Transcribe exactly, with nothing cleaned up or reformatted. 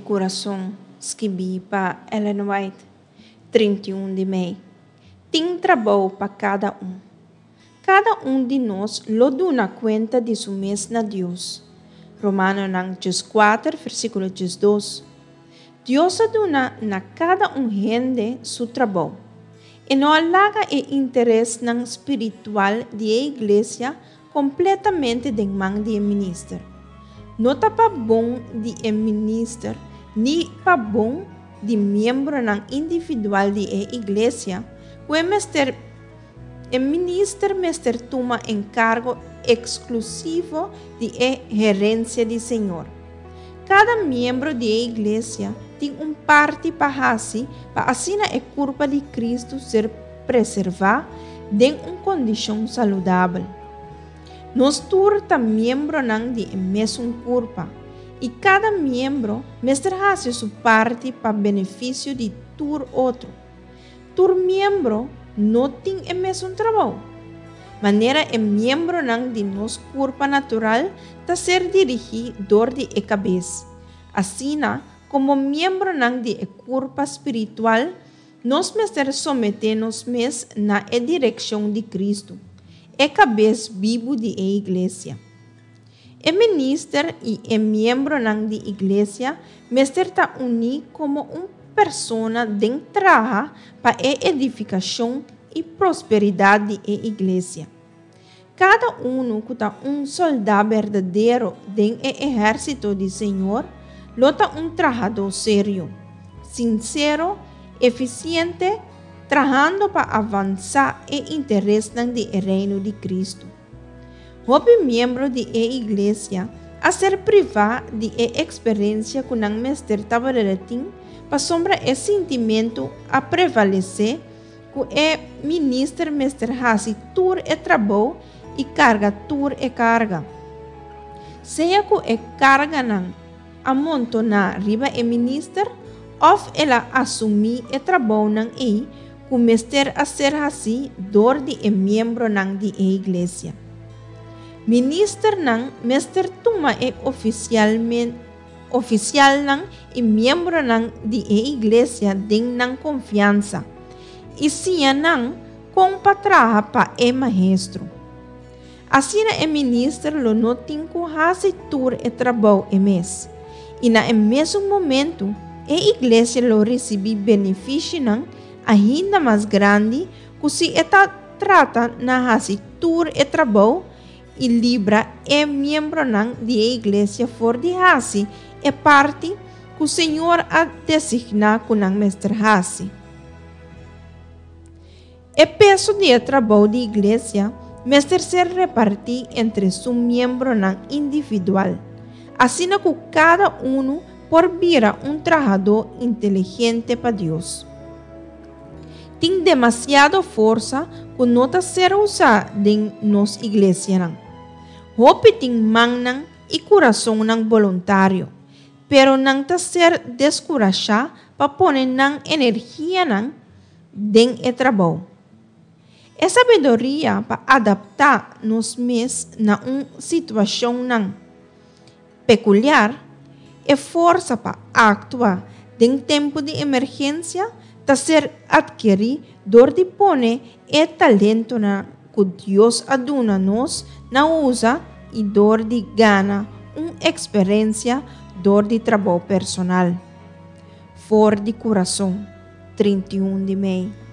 kurason, skibí pa Ellen White, trinta i un di mei. Tin trabou pa kada un. Kada un di nos lo duna kuenta di su mes na Dios. Romanonan dieskuater, versíkulo diesdos. Dios a duna na kada un hende su trabou. E no a laga e interesnan spiritual di e iglesia kompletamente den man di e minister. No ta pa bon di e minister ni pa bon di miembronan individual di e iglesia ku e mester e minister mester tuma enkargo eksklusivo di e herensia di Señor. Kada miembro di e iglesia tin un parti pa hasi pa asina e kurpa di Kristu ser preservá den un kondishon saludabel. Nos tur ta miembronan di e mesun kurpa i kada miembro mester hasi su parti pa benefisio di tur otro. Tur miembro no tin e mesun trabou. Manera e miembronan di nos kurpa natural ta ser dirigí dor di e kabes, asina komo miembronan di e kurpa spiritual nos mester someté nos mes na e direkshon di Kristu, e kabes bibu di e iglesia. E minister i e miembronan di iglesia mester ta uní komo un persona den traha pa e edifikashon i prosperidat di e iglesia. Kada unu ku ta un sòldá berdadero den e ehérsito di Señor lo ta un trahadó serio, sinsero, efisiente, trahando pa avansá e interesnan di e reino di Kristu. Hopi miembro di e iglesia a ser privá di e eksperensia ku nan mester tabatin pasobra e sintimentu a prevalesé ku e minister mester hasi tur e trabou i karga tur e karga. Sea ku e karganan a montoná riba e minister òf el a asumí e trabounan ei ku mester a ser hasí dor di e miembronan di e iglesia. Ministernan mester tuma e ofisialmen ofisialnan i miembronan di e iglesia den nan konfiansa i siña nan kon pa traha pa e maestro. Asina e minister lo no tin ku hasi tur e trabou e mes. I na e mesun momento e iglesia lo risibí benefisionan ainda mas grandi ku si e ta trata na hasi tur e trabou i libra e miembronan di e iglesia for di hasi e parti ku Señor a designá ku nan mester hasi. E peso di e trabou di iglesia mester ser repartí entre su miembronan individual, asina ku kada unu por bira un trahadó inteligente pa Dios. Tin demasiado forsa ku no ta ser usá den nos iglesianan. Hopi tin mannan i kurasonnan boluntario, pero nan ta ser deskurashá pa pone nan energianan den e trabou. E sabiduria pa adaptá nos mes na un situashonnan pekuliar, e forsa pa aktua den tempu di emergensia ta ser atkerí dor di pone e talentonan ku Dios a duna nos na usa i dor di gana un eksperensia dor di trabou personal. For di kurason, trinta i un di mei.